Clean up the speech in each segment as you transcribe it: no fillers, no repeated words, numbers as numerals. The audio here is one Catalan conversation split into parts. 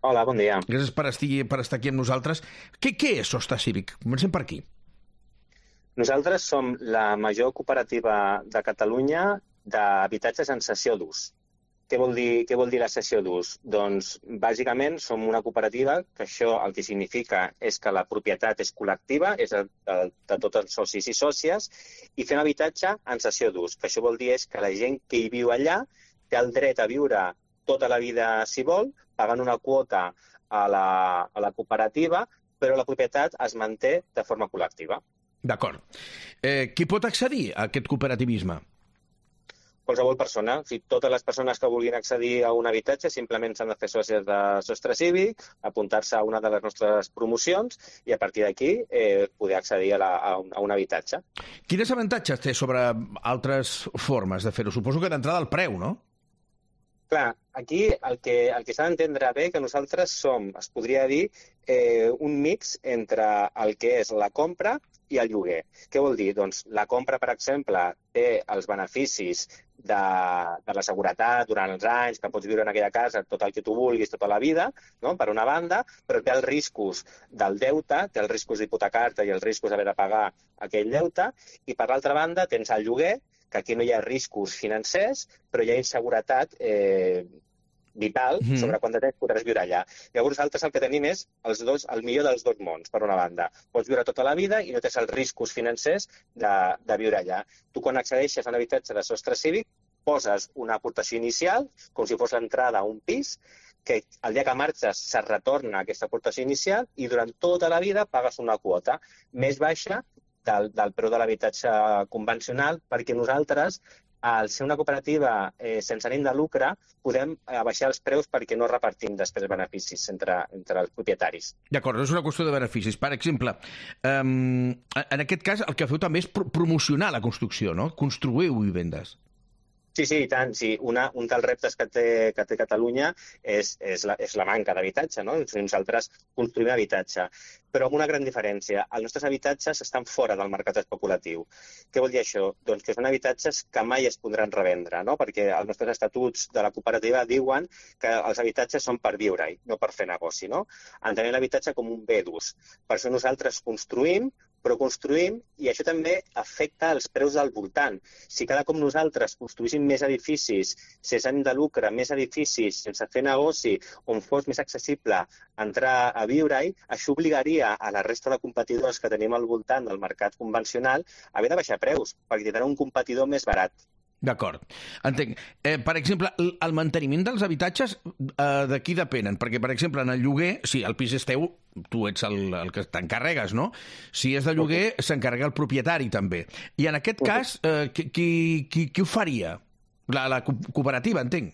Hola, bon dia. Gràcies per estar aquí amb nosaltres. Què és Sostre Cívic? Comencem per aquí. Nosaltres som la major cooperativa de Catalunya d'habitatges en cessió d'ús. Què vol dir la cessió d'ús? Doncs, bàsicament, som una cooperativa que això el que significa és que la propietat és col·lectiva, és de tots els socis i sòcies, i fem habitatge en cessió d'ús. Que això vol dir és que la gent que hi viu allà té el dret a viure tota la vida, si vol, pagant una quota a la cooperativa, però la propietat es manté de forma col·lectiva. D'acord. Qui pot accedir a aquest cooperativisme? Qualsevol persona. Totes les persones que vulguin accedir a un habitatge simplement s'han de fer sòcies de Sostre Cívic, apuntar-se a una de les nostres promocions i a partir d'aquí poder accedir a un habitatge. Quins avantatges té sobre altres formes de fer-ho? Suposo que d'entrada el preu, no? Clar, aquí el que s'ha d'entendre bé que nosaltres som, es podria dir, un mix entre el que és la compra i el lloguer. Què vol dir? Doncs la compra, per exemple, té els beneficis de la seguretat durant els anys, que pots viure en aquella casa tot el que tu vulguis tota la vida, no? Per una banda, però té els riscos del deute, té els riscos d'hipotecar-te i els riscos d'haver de pagar aquell deute, i per l'altra banda tens el lloguer, que aquí no hi ha riscos financers, però hi ha inseguretat vital sobre quant de temps podràs viure allà. Llavors, nosaltres el que tenim és el millor dels dos mons, per una banda. Pots viure tota la vida i no tens els riscos financers de viure allà. Tu, quan accedeixes a un habitatge de Sostre Cívic, poses una aportació inicial, com si fos l'entrada a un pis, que el dia que marxes se retorna aquesta aportació inicial i durant tota la vida pagues una quota més baixa del preu de l'habitatge convencional, perquè nosaltres, al ser una cooperativa sense ànim de lucre, podem baixar els preus perquè no repartim després beneficis entre els propietaris. D'acord, és una qüestió de beneficis. Per exemple, en aquest cas el que feu també és promocionar la construcció, no? Construïu vivendes. Sí, i tant. Sí. Un dels reptes que té Catalunya és la manca d'habitatge, no? Nosaltres construïm habitatge, però amb una gran diferència. Els nostres habitatges estan fora del mercat especulatiu. Què vol dir això? Doncs que són habitatges que mai es podran revendre, no? Perquè els nostres estatuts de la cooperativa diuen que els habitatges són per viure-hi, no per fer negoci, no? Entenem l'habitatge com un bé d'ús. Per això nosaltres construïm i això també afecta els preus del voltant. Si cada cop nosaltres construïssin més edificis sense ànim de lucre, més edificis sense fer negoci, on fos més accessible entrar a viure-hi, això obligaria a la resta de competidors que tenim al voltant del mercat convencional a haver de baixar preus, perquè tindran un competidor més barat. D'acord, entenc. Per exemple, el manteniment dels habitatges de qui depenen? Perquè, per exemple, en el lloguer, si el pis és teu, tu ets el que t'encarregues, no? Si és de lloguer, s'encarrega el propietari, també. I en aquest cas, qui ho faria? La cooperativa, entenc.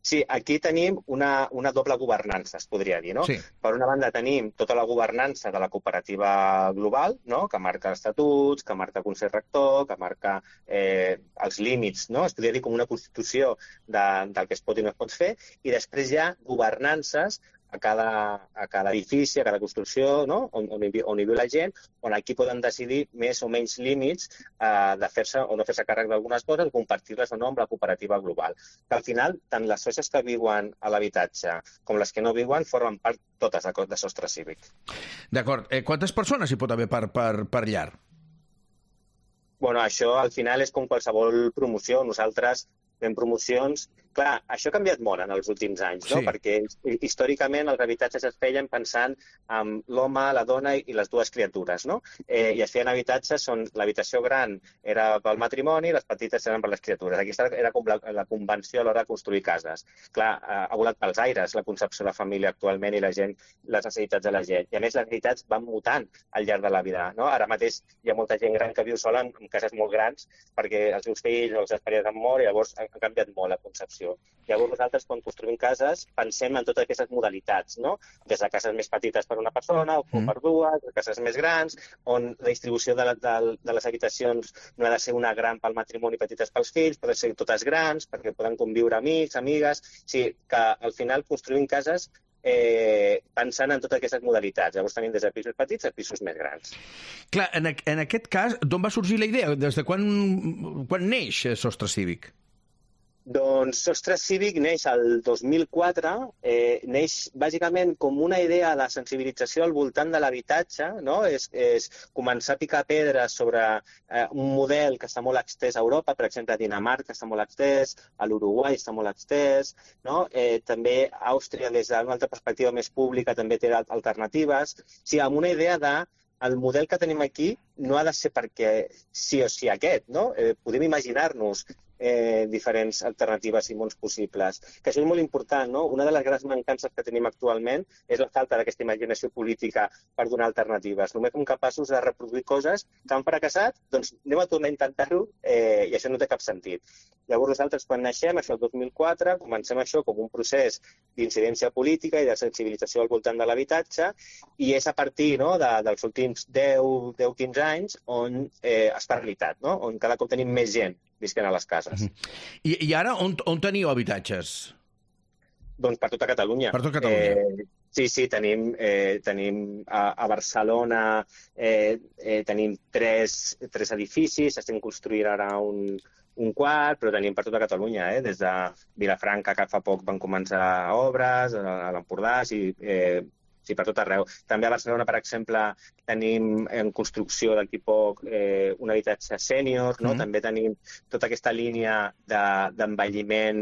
Sí, aquí tenim una doble governança, es podria dir, no? Sí. Per una banda tenim tota la governança de la cooperativa global, no? Que marca estatuts, que marca consell rector, que marca els límits, no? Es podria dir com una constitució del que es pot i no es pot fer, i després hi ha governances a cada edifici, a cada construcció, no? on hi viu la gent, on aquí poden decidir més o menys límits de fer-se o no fer-se càrrec d'algunes coses, compartir-les o no amb la cooperativa global. Que al final, tant les socis que viuen a l'habitatge com les que no viuen formen part totes de Sostre Cívic. D'acord. Quantes persones hi pot haver per llar? Bueno, això al final és com qualsevol promoció. Nosaltres fem promocions. Clar, això ha canviat molt en els últims anys, no? Sí. Perquè històricament els habitatges es feien pensant en l'home, la dona i les dues criatures, no? I es feien habitatges on l'habitació gran era pel matrimoni i les petites eren per les criatures. Aquesta era com la convenció a l'hora de construir cases. Clar, ha volat pels aires la concepció de família actualment i la gent, les necessitats de la gent. I a més, les necessitats van mutant al llarg de la vida, no? Ara mateix hi ha molta gent gran que viu sola en cases molt grans perquè els seus fills o els seus pares han mort i llavors ha canviat molt la concepció. Llavors nosaltres, quan construïm cases, pensem en totes aquestes modalitats, no? Des de cases més petites per una persona o per dues, cases més grans, on la distribució de les habitacions no ha de ser una gran pel matrimoni i petites pels fills, poden ser totes grans, perquè poden conviure amics, amigues. O sigui, que al final construïm cases pensant en totes aquestes modalitats. Llavors tenim des de pisos petits a pisos més grans. Clar, en aquest cas, d'on va sorgir la idea? Des de quan neix Sostre Cívic? Doncs Sostre Cívic neix el 2004, neix bàsicament com una idea de sensibilització al voltant de l'habitatge, no? És començar a picar pedres sobre un model que està molt extès a Europa, per exemple a Dinamarca està molt extès, a l'Uruguai està molt extès, no? També Àustria des d'una altra perspectiva més pública també té alternatives, sí, amb una idea de el model que tenim aquí no ha de ser perquè sí o sí aquest, no? Podem imaginar-nos diferents alternatives i mons possibles. Que això és molt important, no? Una de les grans mancances que tenim actualment és la falta d'aquesta imaginació política per donar alternatives. Només som capaços de reproduir coses que han fracassat, doncs anem a tornar a intentar-ho i això no té cap sentit. Llavors nosaltres quan naixem, això el 2004, comencem això com un procés d'incidència política i de sensibilització al voltant de l'habitatge i és a partir dels últims 10-15 anys on es fa realitat, no? On cada cop tenim més gent visquent a les cases. I ara on teniu habitatges? Doncs per tota Catalunya. Per tota Catalunya. Sí, tenim a Barcelona tenim tres edificis, estem construint ara un quart, però tenim per tota Catalunya, des de Vilafranca, que fa poc van començar obres, a l'Empordà, sí, per tot arreu. També a Barcelona, per exemple, tenim en construcció d'aquí poc un habitatge sènior, no? També tenim tota aquesta línia d'envelliment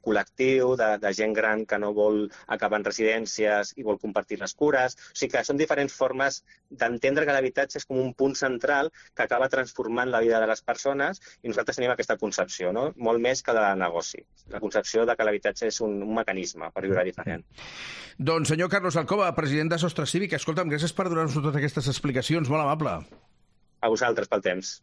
col·lectiu, de gent gran que no vol acabar en residències i vol compartir les cures. O sigui que són diferents formes d'entendre que l'habitatge és com un punt central que acaba transformant la vida de les persones i nosaltres tenim aquesta concepció, no? Molt més que de negoci. La concepció de que l'habitatge és un mecanisme per viure diferent. Doncs senyor Carlos Alcoba, president de Sostre Cívic, escolta'm, gràcies per donar-nos totes aquestes explicacions, molt amable. A vosaltres pel temps.